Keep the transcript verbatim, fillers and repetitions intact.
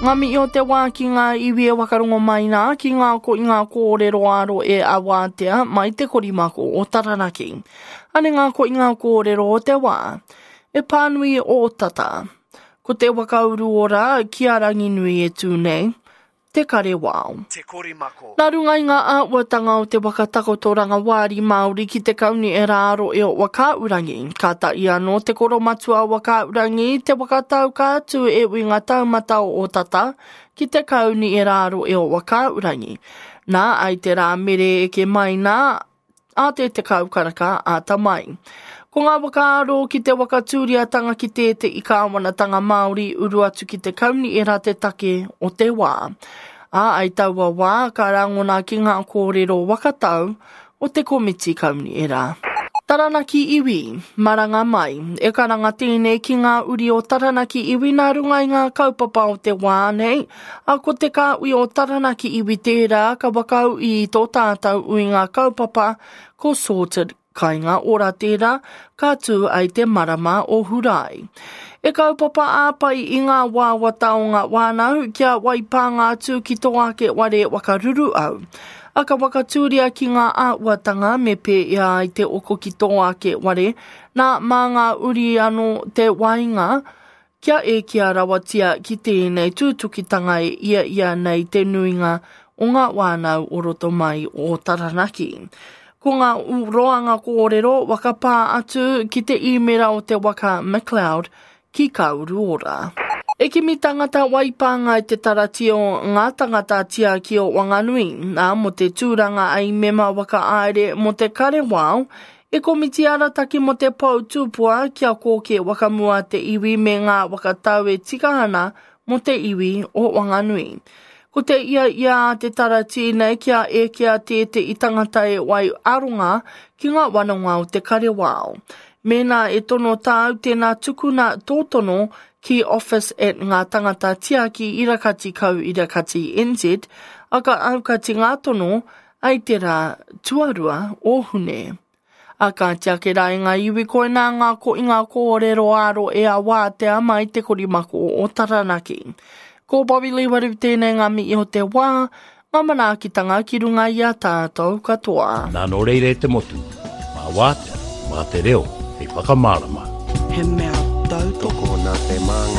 Ngā mihi o te wā ki ngā iwi e wakarongo mai nā, ki ngā ko i ngā kōrero aro e awātea mai te korimako o Taranaki. Ane ngā ko i ngā kōrero o te wā. E pānui o tata. Ko te wakauru ora ki a Ranginui e tū nei, te kare wao. Te korimako. Nā runga i ngā āhuatanga o te waka takotoranga wāri Māori ki te kauni e rāro e o Wakaurangi. Ka tahi anō te koromatua o Wakaurangi, te wakatau ka atu e ui ngā taumata o Ōtata ki te kauni e rāro e o Wakaurangi. Nā, ai te rā mere eke mai nā, a te tekau karaka āta mai. Ko ngā whakaaro ki te wakatūriatanga ki tētehi kāwanatanga Māori uru atu ki te kaunihera te take o te wā. Ā, ai taua wā ka rangona ki ngā kōrero wakatau o te komiti kaunihera. Taranaki iwi, maranga mai. E karanga tēnei ki ngā uri o Taranaki iwi nā runga i ngā kaupapa o te wā nei, a ko te kāhui o Taranaki iwi tērā ka whakaū i tō tātou uinga kaupapa ko Sorted Kainga Ora tērā ka tū ai te marama o Hurae. E kaupapa āpai i ngā wāwata o ngā wānau kia waipānga atu ki tō ake ware wakaruru au. A ka wakatūria ki ngā āhuatanga me pēia ai te oko ki tō ake ware, nā mā ngā uri anō te wainga kia ekea rawatia ki tēnei tūtukitanga e ia ia nei te nuinga o ngā wānau o roto mai o Taranaki. Ko ngā roanga kōrero wakapā atu ki te īmera o te waka McLeod ki Kauruora. E kimi tangata waipānga i te tarati o ngā tangata tiaki o Wanganui, nā mō te tūranga ai mema waka aere mō te karewao, e komiti arataki mō te pou tūpua kia kōke wakamua te iwi me ngā wakatau e tika ana mō te iwi o Wanganui. Ko te ia ia a te tarati nei kia ekea tētehi tangata e wai aronga ki ngā wanonga o te karewao. Mēnā e tono tāu tēnā tukuna tō tono ki office at ngā tangata tiaki irakati kau irakati N Z, a ka aukati ngā tono ai te rā tuarua o Hune. A ka tiake rā i ngā iwi koinā ngā ko i ngā kōrero aro e a wātea mai te korimako o Taranaki. Ko Bobby Lee Waru tēnei ngā mihi o te wā, ngā manaakitanga ki runga i a tātou katoa. Nā nō reira e te motu, mā wātea, mā te reo, hei whakamārama. He mea tautoko. Tokona te māngai.